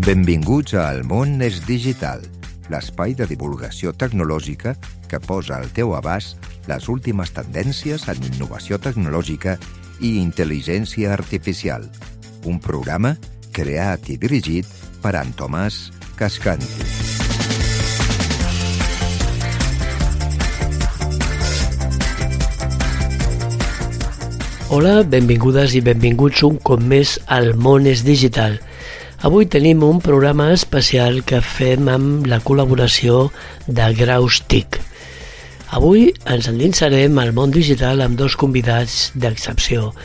Benvinguts a El món és digital, l'espai de divulgació tecnològica que posa al teu abast les últimes tendències en innovació tecnològica i intel·ligència artificial. Un programa creat i dirigit per en Tomàs Cascanti. Hola, benvingudes i benvinguts un cop més al món és digital. Avui tenim un programa especial que fem amb la col·laboració de Graus TIC. Avui ens endinsarem al món digital amb dos convidats d'excepció.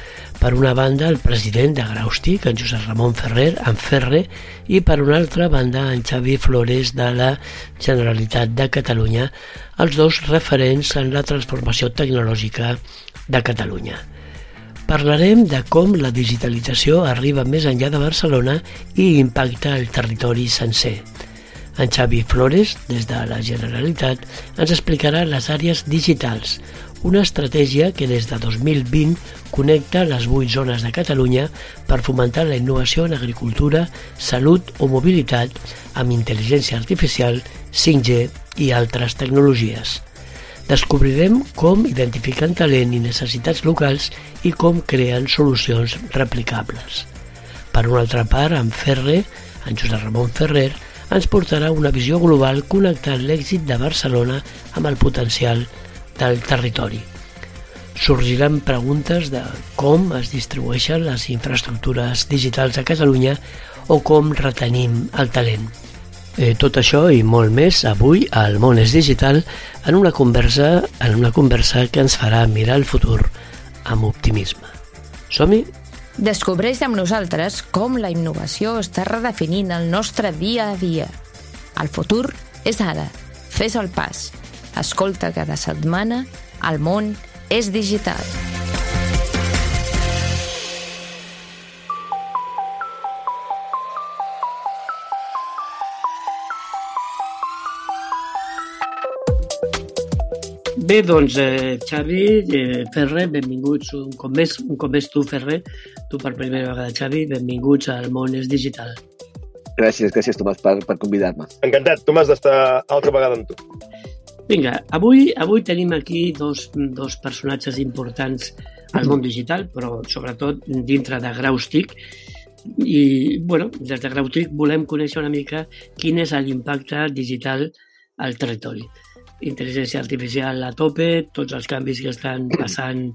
Per una banda, el president de Graus TIC, en Josep Ramon Ferrer, en Ferre, i per una altra banda, en Xavi Flores, de la Generalitat de Catalunya, els dos referents en la transformació tecnològica de Catalunya. Parlarem de com la digitalització arriba més enllà de Barcelona i impacta el territori sencer. En Xavi Flores, des de la Generalitat, ens explicarà les àrees digitals, una estratègia que des de 2020 connecta les 8 zones de Catalunya per fomentar la innovació en agricultura, salut o mobilitat amb intel·ligència artificial, 5G i altres tecnologies. Descobrirem com identifiquen talent i necessitats locals i com creen solucions replicables. Per una altra part, en Ferre, en Josep Ramon Ferrer, ens portarà una visió global connectant l'èxit de Barcelona amb el potencial del territori. Sorgiran preguntes de com es distribueixen les infraestructures digitals a Catalunya o com retenim el talent. Tot això i molt més avui al món és digital en una conversa que ens farà mirar el futur amb optimisme. Som-hi? Descobreix amb nosaltres com la innovació està redefinint el nostre dia a dia. El futur és ara. Fes el pas. Escolta cada setmana El món és digital. Bé, doncs, Xavi, Ferrer, benvinguts un cop més tu, Ferrer, tu per primera vegada, Xavi, benvinguts al món és digital. Gràcies, Tomàs, per convidar-me. Encantat, Tomàs, d'estar altra vegada amb tu. Vinga, avui tenim aquí dos personatges importants al món digital, però sobretot dintre de Graus TIC. I, des de Graus TIC volem conèixer una mica quin és l'impacte digital al territori. Intel·ligència artificial a tope, tots els canvis que estan passant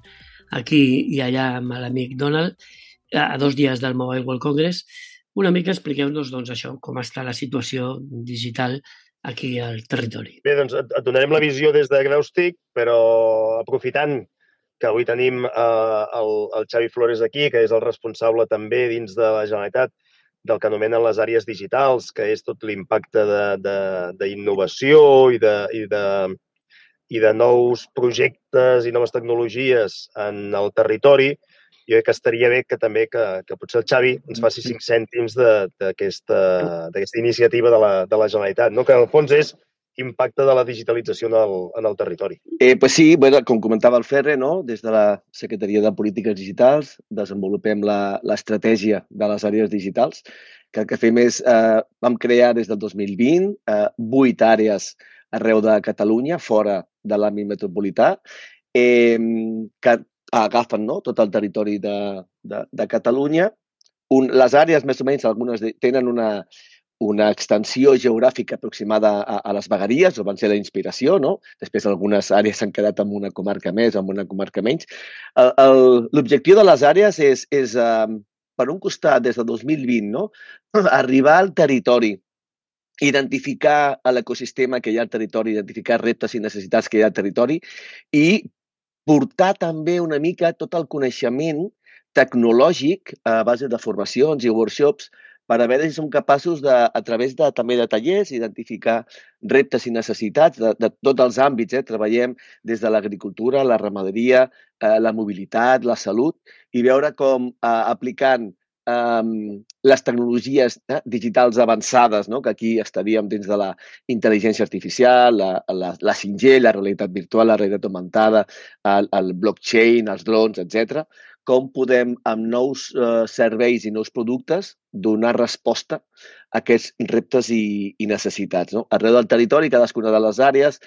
aquí i allà amb l'amic Donald, a 2 dies del Mobile World Congress. Una mica expliqueu-nos això, com està la situació digital aquí al territori. Bé, doncs et donarem la visió des de Graus TIC, però aprofitant que avui tenim el Xavi Flores aquí, que és el responsable també dins de la Generalitat del que anomenen les àrees digitals, que és tot l'impacte d'innovació i de nous projectes i noves tecnologies en el territori. Jo crec que estaria bé que també que potser el Xavi ens faci 5 cèntims d'aquesta iniciativa de la Generalitat, no? Que en el fons és impacte de la digitalització en el territori. Pues sí, com comentava el Ferre, no? Des de la Secretaria de Polítiques Digitals desenvolupem l'estratègia de les àrees digitals, que el que fem és, vam crear des del 2020 8 àrees arreu de Catalunya, fora de l'àmbit metropolità, que agafen tot el territori de Catalunya. Les àrees, més o menys, algunes tenen una extensió geogràfica aproximada a les vegueries, o van ser la inspiració, no? Després algunes àrees s'han quedat en una comarca més o en una comarca menys. L'objectiu de les àrees és, per un costat, des de 2020, no? Arribar al territori, identificar l'ecosistema que hi ha al territori, identificar reptes i necessitats que hi ha al territori i portar també una mica tot el coneixement tecnològic a base de formacions i workshops per a veure si som capaços, a través també de tallers, identificar reptes i necessitats de tots els àmbits. Treballem des de l'agricultura, la ramaderia, la mobilitat, la salut, i veure com aplicant les tecnologies digitals avançades, que aquí estaríem dins de la intel·ligència artificial, la 5G, la realitat virtual, la realitat augmentada, el blockchain, els drons, etc., com podem, amb nous serveis i nous productes, donar resposta a aquests reptes i necessitats. No? Arreu del territori, cadascuna de les àrees,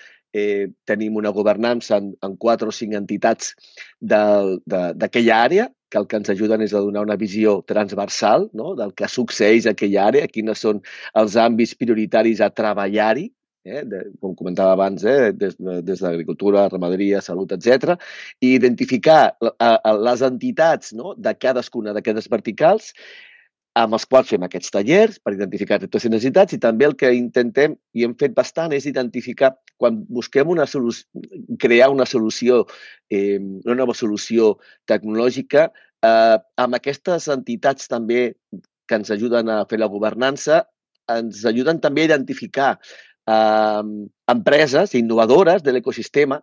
tenim una governança en 4 o 5 entitats d'aquella àrea, que el que ens ajuden és a donar una visió transversal, no? Del que succeeix a aquella àrea, quines són els àmbits prioritaris a treballar-hi, com comentava abans, des d'agricultura, ramaderia, salut, etc. I identificar les entitats, no? De cadascuna d'aquestes verticals, amb els quals fem aquests tallers per identificar reptes i necessitats, i també el que intentem, i hem fet bastant, és identificar, quan busquem crear una solució, una nova solució tecnològica, amb aquestes entitats també que ens ajuden a fer la governança, ens ajuden també a identificar empreses innovadores de l'ecosistema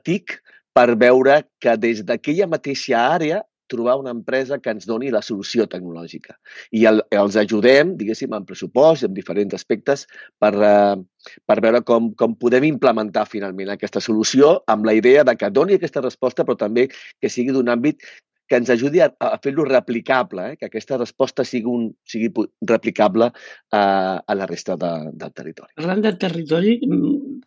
TIC per veure que des d'aquella mateixa àrea trobar una empresa que ens doni la solució tecnològica. I els ajudem, diguéssim, en pressupost i en diferents aspectes per veure com podem implementar finalment aquesta solució amb la idea de que doni aquesta resposta, però també que sigui d'un àmbit que ens ajudi a fer-lo replicable, que aquesta resposta sigui replicable a la resta del territori. Parlant del territori,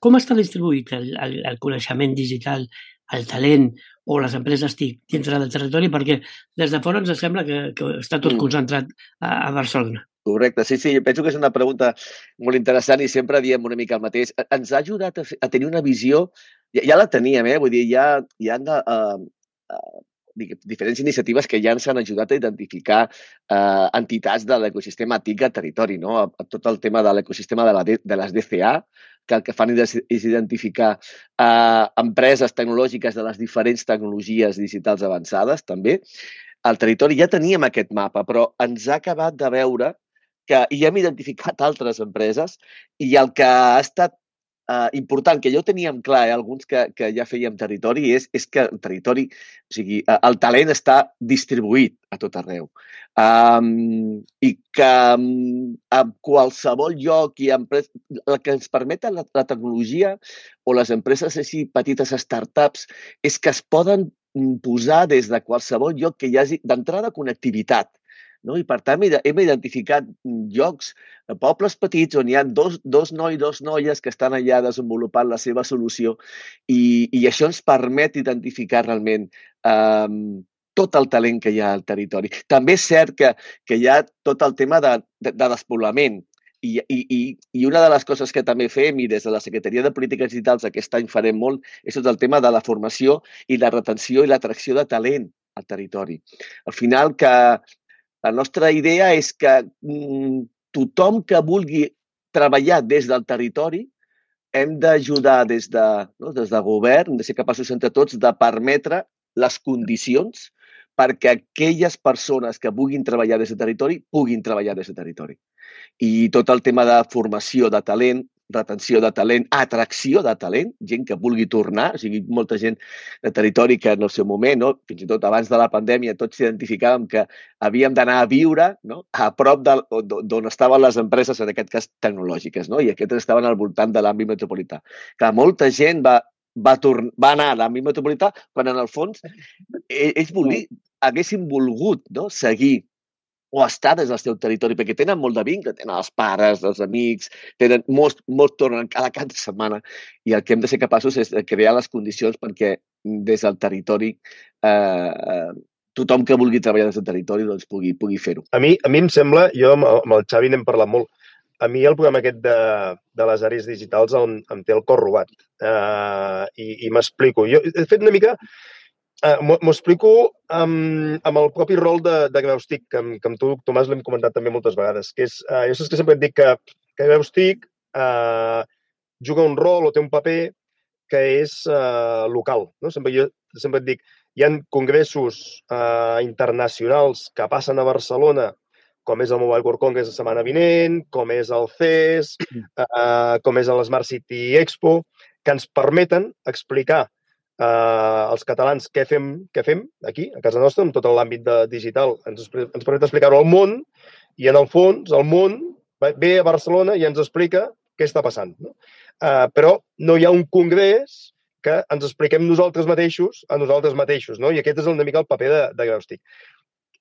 com està distribuït el coneixement digital, el talent o les empreses TIC dintre del territori? Perquè des de fora ens sembla que està tot concentrat a Barcelona. Correcte, sí, jo penso que és una pregunta molt interessant i sempre diem una mica el mateix. Ens ha ajudat a tenir una visió, ja la teníem, vull dir, ja han diferents iniciatives que ja ens han ajudat a identificar entitats de l'ecosistema TIC al territori, no? Tot el tema de l'ecosistema de les DCA, que el que fan és identificar empreses tecnològiques de les diferents tecnologies digitals avançades, també. Al territori ja teníem aquest mapa, però ens ha acabat de veure que hi hem identificat altres empreses i el que ha estat important, que ja ho teníem clar, alguns que ja fèiem territori, és que el territori, o sigui, el talent està distribuït a tot arreu. I que a qualsevol lloc i empresa, el que ens permet la tecnologia o les empreses així petites startups és que es poden posar des de qualsevol lloc que hi hagi d'entrada connectivitat. No? I, per tant, hem identificat llocs, pobles petits, on hi ha dos nois, dos noies que estan allà desenvolupant la seva solució i això ens permet identificar realment tot el talent que hi ha al territori. També és cert que hi ha tot el tema de despoblament i una de les coses que també fem i des de la Secretaria de Polítiques Digitals aquest any farem molt és tot el tema de la formació i la retenció i l'atracció de talent al territori. Al final, que la nostra idea és que tothom que vulgui treballar des del territori hem d'ajudar des de govern, hem de ser capaços entre tots de permetre les condicions perquè aquelles persones que vulguin treballar des del territori puguin treballar des del territori. I tot el tema de formació de talent, retenció de talent, atracció de talent, gent que vulgui tornar, o sigui, molta gent de territori que en el seu moment, no? Fins i tot abans de la pandèmia, tots identificàvem que havíem d'anar a viure, no? A prop d'on estaven les empreses, en aquest cas tecnològiques, no? I aquestes estaven al voltant de l'àmbit metropolità. Que molta gent va anar a l'àmbit metropolità quan en el fons ells haguessin volgut, no? Seguir o estar des del seu territori, perquè tenen molt de vincle, tenen els pares, els amics, molts tornen cada cap de setmana i el que hem de ser capaços és de crear les condicions perquè des del territori tothom que vulgui treballar des del territori doncs pugui fer-ho. A mi em sembla, jo amb el Xavi n'hem parlat molt, a mi el programa aquest de les àrees digitals em té el cor robat i m'explico. Jo he fet una mica... M'ho explico amb el propi rol de Graus TIC, que amb tu, Tomàs, l'hem comentat també moltes vegades, que és, jo saps que sempre et dic que Graus TIC juga un rol o té un paper que és local. No? Jo sempre et dic, hi ha congressos internacionals que passen a Barcelona, com és el Mobile World Congress la setmana vinent, com és el CES, com és l'Smart City Expo, que ens permeten explicar als catalans què fem aquí, a casa nostra, amb tot l'àmbit digital. Ens permet explicar-ho al món i, en el fons, el món ve a Barcelona i ens explica què està passant. No? Però no hi ha un congrés que ens expliquem nosaltres mateixos a nosaltres mateixos, no? I aquest és una mica el paper de Graustic.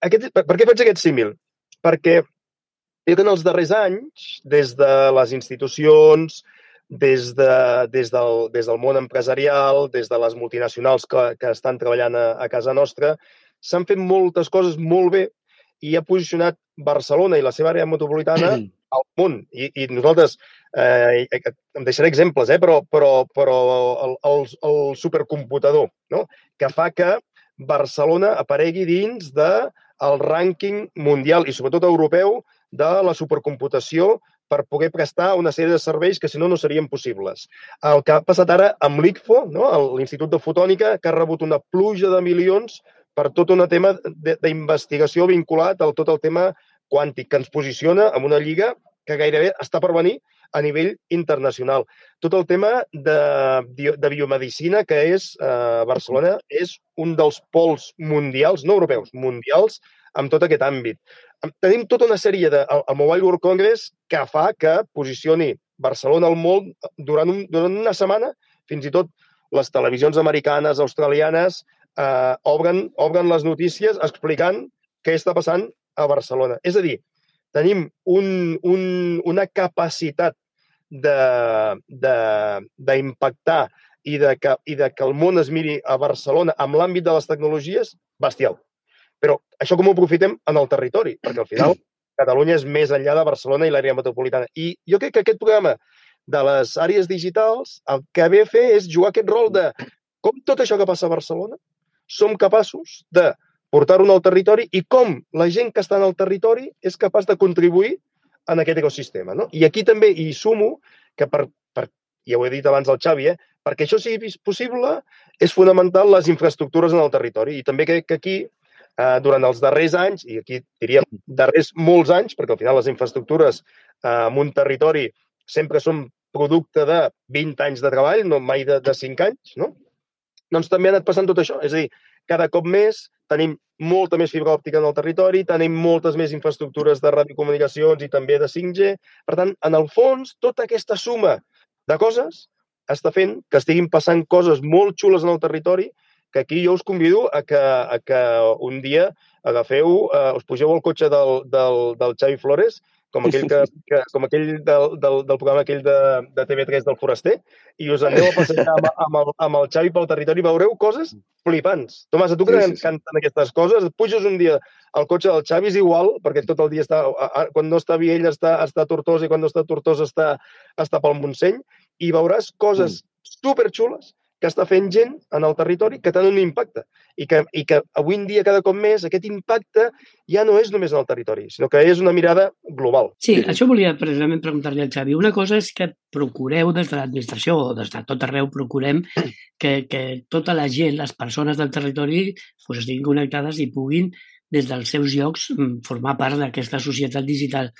Per què faig aquest símil? Perquè jo que en els darrers anys, des de les institucions, des del món empresarial, des de les multinacionals que estan treballant a casa nostra, s'han fet moltes coses molt bé i ha posicionat Barcelona i la seva àrea metropolitana al món. I nosaltres, em deixaré exemples, però el supercomputador, no? Que fa que Barcelona aparegui dins del rànquing mundial i sobretot europeu de la supercomputació per poder prestar una sèrie de serveis que, si no, no serien possibles. El que ha passat ara amb l'ICFO, no? l'Institut de Fotònica, que ha rebut una pluja de milions per tot un tema d'investigació vinculat a tot el tema quàntic, que ens posiciona en una lliga que gairebé està per venir a nivell internacional. Tot el tema de biomedicina, que és Barcelona, és un dels pols mundials, no europeus, mundials, en tot aquest àmbit. Tenim tota una sèrie al Mobile World Congress que fa que posicioni Barcelona al món durant una setmana. Fins i tot les televisions americanes, australianes, obren les notícies explicant què està passant a Barcelona. És a dir, tenim una capacitat d'impactar i de que el món es miri a Barcelona amb l'àmbit de les tecnologies bestial. Però això com ho aprofitem en el territori? Perquè al final Catalunya és més enllà de Barcelona i l'àrea metropolitana. I jo crec que aquest programa de les àrees digitals el que ve a fer és jugar aquest rol de com tot això que passa a Barcelona som capaços de portar-ho al territori i com la gent que està en el territori és capaç de contribuir en aquest ecosistema. No? I aquí també hi sumo que, ja ho he dit abans al Xavi, perquè això sigui possible és fonamental les infraestructures en el territori. I també crec que aquí, durant els darrers anys, i aquí diríem darrers molts anys, perquè al final les infraestructures en un territori sempre són producte de 20 anys de treball, no mai de 5 anys, no? Doncs també ha anat passant tot això. És a dir, cada cop més tenim molta més fibra òptica en el territori, tenim moltes més infraestructures de radiocomunicacions i també de 5G. Per tant, en el fons, tota aquesta suma de coses està fent que estiguin passant coses molt xules en el territori, que aquí jo us convido a que un dia agafeu, us pugeu al cotxe del Xavi Flores, com aquell del programa aquell de TV3 del Foraster, i us aneu a passejar amb el Xavi pel territori i veureu coses flipants. Tomàs, a tu que t'encanten aquestes coses, et puges un dia al cotxe del Xavi, és igual, perquè tot el dia està, quan no està a Viella està a Tortosa i quan no està a Tortosa està pel Montseny, i veuràs coses superxules que està fent gent en el territori que tenen un impacte i que avui en dia cada cop més aquest impacte ja no és només en el territori, sinó que és una mirada global. Sí, això volia precisament preguntar-li al Xavi. Una cosa és que procureu des de l'administració o des de tot arreu procurem que tota la gent, les persones del territori estiguin connectades i puguin des dels seus llocs formar part d'aquesta societat digital.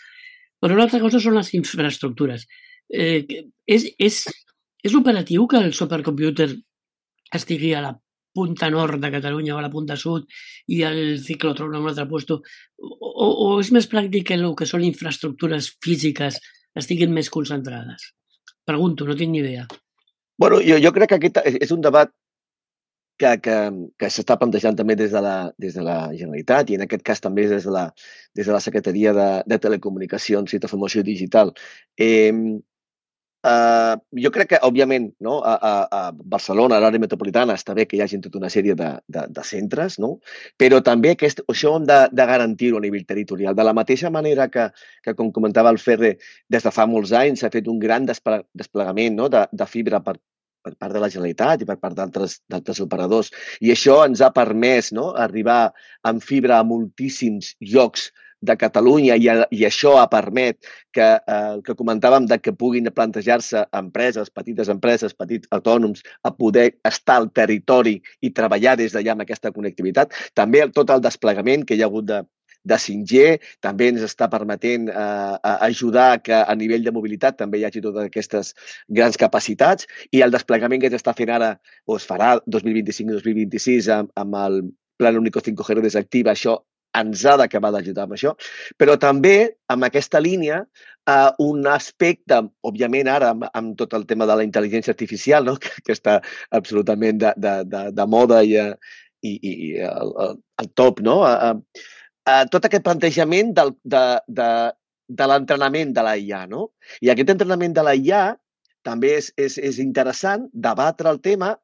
Però una altra cosa són les infraestructures. És operatiu que el supercomputer estigui a la punta nord de Catalunya o a la punta sud i el ciclotró en un altre lloc? O és més pràctic que el que són infraestructures físiques estiguin més concentrades? Pregunto, no tinc ni idea. Bueno, jo crec que aquest és un debat que s'està plantejant també des de la Generalitat i en aquest cas també des de la Secretaria de Telecomunicacions i Transformació Digital. Jo crec que, òbviament, no, a Barcelona, a l'àrea metropolitana, està bé que hi hagi tota una sèrie de centres, no? Però també això hem de garantir-ho a nivell territorial. De la mateixa manera que com comentava el Ferre, des de fa molts anys s'ha fet un gran desplegament, no, de fibra per part de la Generalitat i per part d'altres operadors. I això ens ha permès, no, arribar amb fibra a moltíssims llocs de Catalunya i això ha permet que comentàvem de que puguin plantejar-se empreses, petites empreses, petits autònoms, a poder estar al territori i treballar des d'allà amb aquesta connectivitat. També tot el desplegament que hi ha hagut de 5G també ens està permetent ajudar que a nivell de mobilitat també hi hagi totes aquestes grans capacitats i el desplegament que s'està fent ara o es farà 2025-2026 amb el Plan Único 5G desactiva, això ens ha d'acabar d'ajudar amb això, però també amb aquesta línia un aspecte, òbviament ara amb tot el tema de la intel·ligència artificial, no? que està absolutament de moda i al top, no? Tot aquest plantejament de l'entrenament de la IA, no? I aquest entrenament de la IA també és interessant debatre el tema,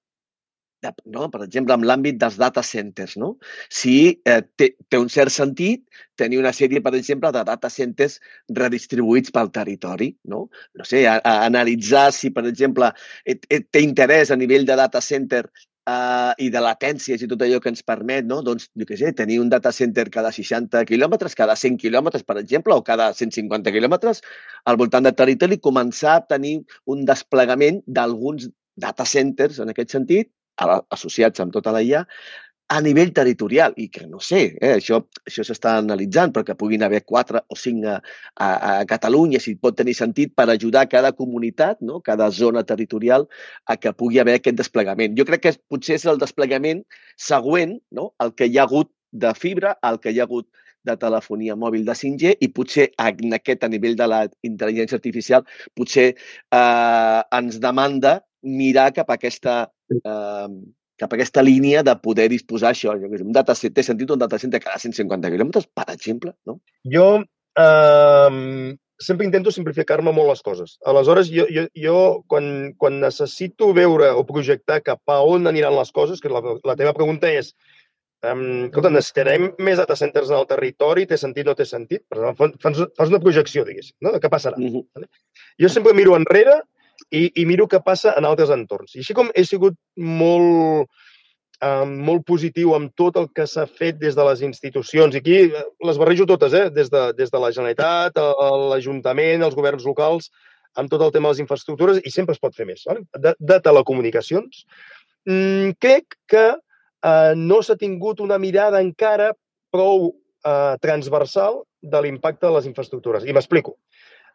no? Per exemple, en l'àmbit dels data centers, no? Si té un cert sentit tenir una sèrie, per exemple, de data centers redistribuïts pel territori, no? No sé, analitzar si, per exemple, té interès a nivell de data center i de latències i tot allò que ens permet, no? Doncs, jo què sé, tenir un data center cada 60 quilòmetres, cada 100 quilòmetres, per exemple, o cada 150 quilòmetres al voltant del territori, començar a tenir un desplegament d'alguns data centers, en aquest sentit, associats amb tota la IA, a nivell territorial, i que no sé, això s'està analitzant, però que puguin haver 4 o 5 a Catalunya, si pot tenir sentit, per ajudar cada comunitat, no? Cada zona territorial, a que pugui haver aquest desplegament. Jo crec que potser és el desplegament següent, no? El que hi ha hagut de fibra, el que hi ha hagut de telefonia mòbil de 5G, i potser en aquest, a nivell de la intel·ligència artificial, potser ens demanda mirar cap a aquesta línia de poder disposar això. Un datacenter, té sentit un datacenter cada 150 quilòmetres, per exemple, no? Jo sempre intento simplificar-me molt les coses. Aleshores, jo quan necessito veure o projectar cap a on aniran les coses, que la teva pregunta és escolta, necessitarem més data centers en el territori, té sentit o no té sentit? Fas una projecció, diguéssim, no? De què passarà. Jo sempre miro enrere i miro què passa en altres entorns. I així com he sigut molt positiu amb tot el que s'ha fet des de les institucions, i aquí les barrejo totes, des de la Generalitat, l'Ajuntament, els governs locals, amb tot el tema de les infraestructures, i sempre es pot fer més. De telecomunicacions, crec que no s'ha tingut una mirada encara prou transversal de l'impacte de les infraestructures. I m'explico.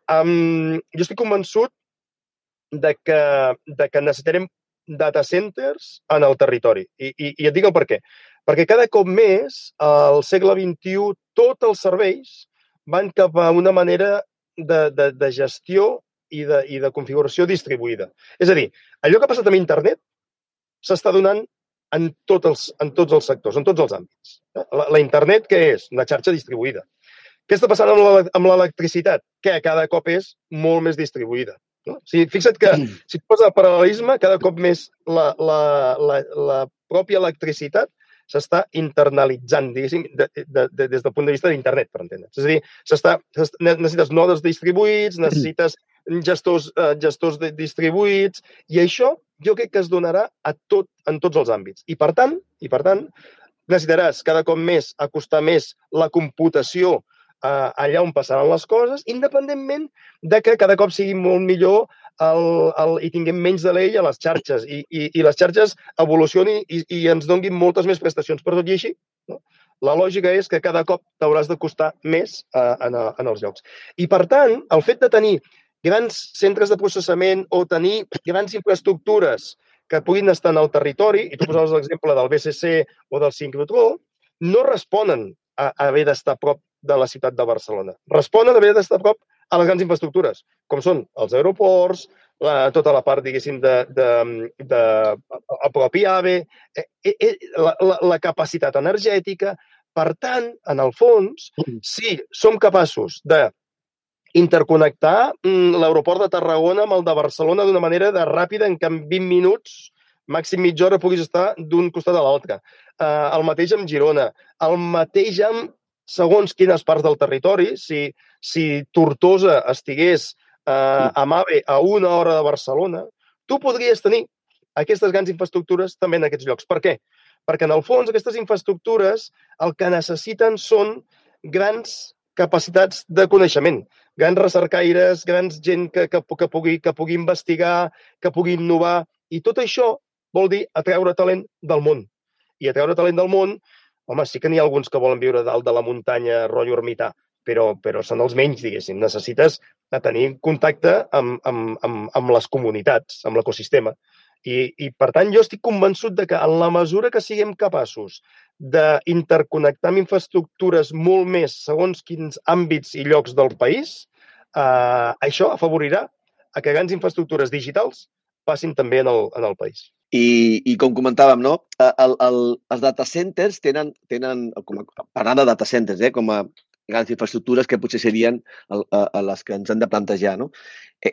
Jo estic convençut de que necessitarem data centers en el territori. I et dic el per què. Perquè cada cop més, al segle XXI, tots els serveis van cap a una manera de gestió i de configuració distribuïda. És a dir, allò que ha passat amb internet s'està donant en tots els sectors, en tots els àmbits. La internet, què és? Una xarxa distribuïda. Què està passant amb l'electricitat? Que cada cop és molt més distribuïda. No? O sigui, fixa't que, si et poses el paral·lelisme, cada cop més la pròpia electricitat s'està internalitzant, diguéssim, des del punt de vista d'internet, per entendre's. És a dir, necessites nodes distribuïts, necessites gestors distribuïts, i això jo crec que es donarà en tots els àmbits. I per tant, necessitaràs cada cop més acostar més la computació allà on passaran les coses, independentment de que cada cop sigui molt millor i tinguem menys de l'ell a les xarxes i les xarxes evolucionin i ens donguin moltes més prestacions. Però tot i així, no? La lògica és que cada cop t'hauràs de costar més en els llocs. I per tant, el fet de tenir grans centres de processament o tenir grans infraestructures que puguin estar en el territori, i tu posaves l'exemple del BCC o del sincrotró, no responen a haver d'estar a prop de la ciutat de Barcelona. Responen a haver d'estar a prop a les grans infraestructures, com són els aeroports, tota la part, diguéssim, el propi AVE, la capacitat energètica. Per tant, en el fons, si som capaços d'interconnectar l'aeroport de Tarragona amb el de Barcelona d'una manera ràpida, en què en 20 minuts, màxim mitja hora, puguis estar d'un costat a l'altre. El mateix amb Girona, el mateix amb segons quines parts del territori. Si Tortosa estigués amb AVE a 1 hora de Barcelona, tu podries tenir aquestes grans infraestructures també en aquests llocs. Per què? Perquè, en el fons, aquestes infraestructures el que necessiten són grans capacitats de coneixement, grans recercaires, grans gent que pugui investigar, que pugui innovar, i tot això vol dir atreure talent del món. I atreure talent del món, home, sí que n'hi ha alguns que volen viure dalt de la muntanya, rotllo ermità, però són els menys, diguéssim. Necessites tenir contacte amb les comunitats, amb l'ecosistema. I, per tant, jo estic convençut de que en la mesura que siguem capaços d'interconnectar amb infraestructures molt més segons quins àmbits i llocs del país, això afavorirà a que grans infraestructures digitals passin també en el país. I com comentàvem, no? Els data centers tenen parlant de data centers, com a grans infraestructures que potser serien les que ens hem de plantejar, no?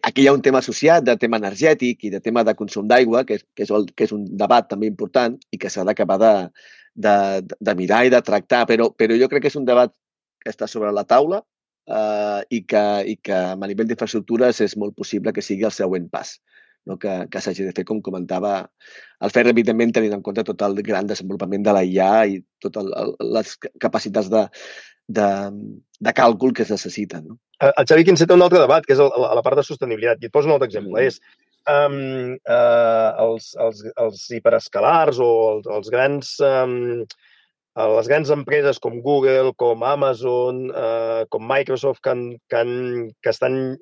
Aquí hi ha un tema associat de tema energètic i de tema de consum d'aigua, que és un debat també important i que s'ha d'acabar de mirar i de tractar, però jo crec que és un debat que està sobre la taula i que a nivell d'infraestructures és molt possible que sigui el següent pas, no? Que s'hagi de fer, com comentava el Ferre, evidentment tenint en compte tot el gran desenvolupament de la IA i totes les capacitats de càlcul que es necessiten. No? El Xavi aquí enceta un altre debat, que és la part de sostenibilitat. I et poso un altre exemple. És els hiperescalars o les grans empreses com Google, com Amazon, com Microsoft, que estan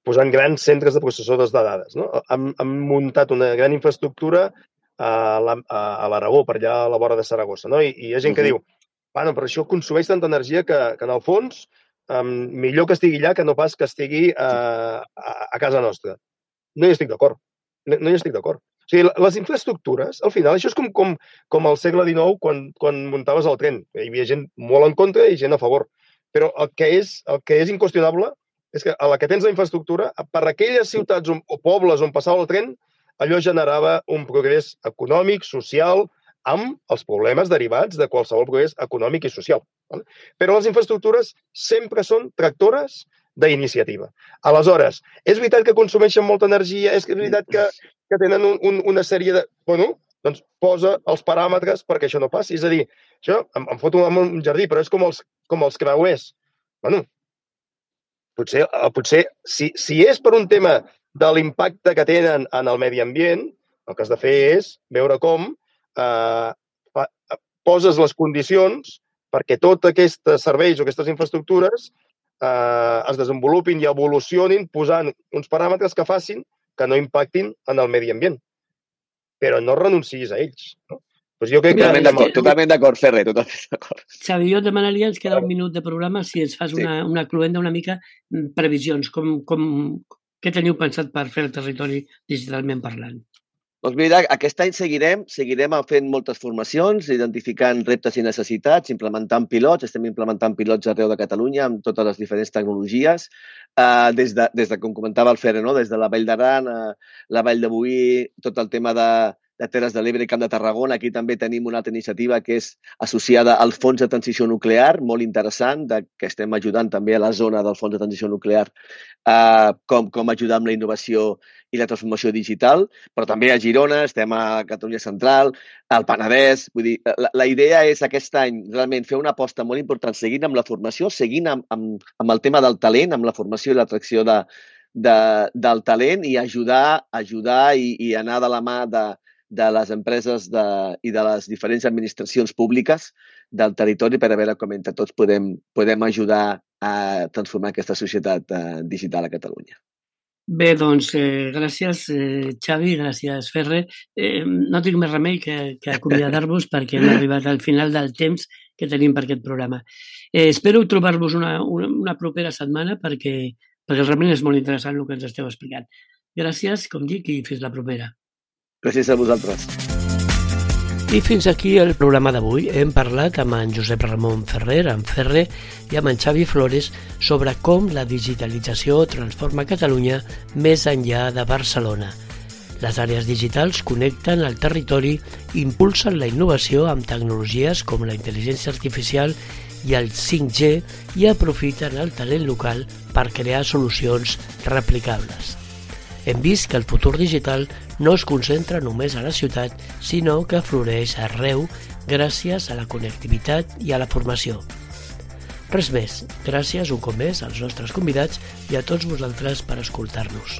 posant grans centres de processadors de dades. No? Han muntat una gran infraestructura a l'Aragó, per allà a la vora de Saragossa. No? I hi ha gent que diu, bueno, però això consumeix tanta energia que en el fons millor que estigui allà que no pas que estigui a casa nostra. No hi estic d'acord. No hi estic d'acord. O sigui, les infraestructures, al final, això és com al segle XIX quan muntaves el tren. Hi havia gent molt en contra i gent a favor. Però el que és inqüestionable és que a la que tens la infraestructura, per aquelles ciutats o pobles on passava el tren, allò generava un progrés econòmic, social, amb els problemes derivats de qualsevol progrés econòmic i social. Però les infraestructures sempre són tractores d'iniciativa. Aleshores, és veritat que consumeixen molta energia, és veritat que tenen una sèrie de... Bueno, doncs posa els paràmetres perquè això no passi. És a dir, això em foto en un jardí, però és com els creuers. Bueno, potser si és per un tema de l'impacte que tenen en el medi ambient, el que has de fer és veure com poses les condicions perquè tots aquests serveis o aquestes infraestructures es desenvolupin i evolucionin posant uns paràmetres que facin que no impactin en el medi ambient. Però no renuncis a ells. No? Pues jo crec totalment d'acord, Ferrer, totalment d'acord. Xavi, jo et demanaria, ens queda un minut de programa, si ens fas una cluenda, una mica previsions, què teniu pensat per fer el territori digitalment parlant? Doncs mira, aquest any seguirem fent moltes formacions, identificant reptes i necessitats, implementant pilots. Estem implementant pilots arreu de Catalunya amb totes les diferents tecnologies, des de com comentava el Ferre, no? Des de la Vall d'Aran, la Vall de Boí, tot el tema de Terres de l'Ebre i Camp de Tarragona. Aquí també tenim una altra iniciativa que és associada al Fons de Transició Nuclear, molt interessant, que estem ajudant també a la zona del Fons de Transició Nuclear com ajudar amb la innovació i la transformació digital, però també a Girona, estem a Catalunya Central, al Penedès. Vull dir, la idea és aquest any realment fer una aposta molt important seguint amb la formació, seguint amb el tema del talent, amb la formació i l'atracció del talent i ajudar i anar de la mà de les empreses i de les diferents administracions públiques del territori per a veure com entre tots podem ajudar a transformar aquesta societat digital a Catalunya. Bé, doncs, gràcies, Xavi, gràcies, Ferre. No tinc més remei que acomiadar-vos perquè hem arribat al final del temps que tenim per aquest programa. Espero trobar-vos una propera setmana perquè realment és molt interessant el que ens esteu explicant. Gràcies, com dic, i fins la propera. Gràcies a vosaltres. I fins aquí el programa d'avui. Hem parlat amb en Josep Ramon Ferrer, en Ferre, i amb en Xavi Flores sobre com la digitalització transforma Catalunya més enllà de Barcelona. Les àrees digitals connecten el territori, impulsen la innovació amb tecnologies com la intel·ligència artificial i el 5G i aprofiten el talent local per crear solucions replicables. Hem vist que el futur digital no es concentra només a la ciutat, sinó que floreix arreu gràcies a la connectivitat i a la formació. Res més, gràcies un cop més als nostres convidats i a tots vosaltres per escoltar-nos.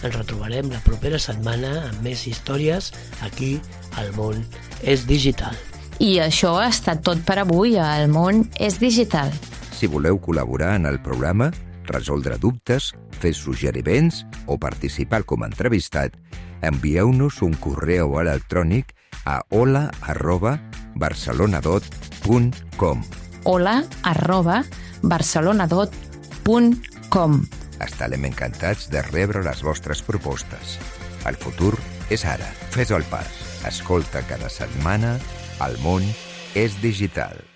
Ens retrobarem la propera setmana amb més històries aquí al Món és Digital. I això ha estat tot per avui a El Món és Digital. Si voleu col·laborar en el programa, resoldre dubtes, fer suggeriments o participar com a entrevistat, envieu-nos un correu electrònic a hola@barcelonadot.com. hola@barcelonadot.com. Estarem encantats de rebre les vostres propostes. El futur és ara. Fes el pas. Escolta cada setmana El món és digital.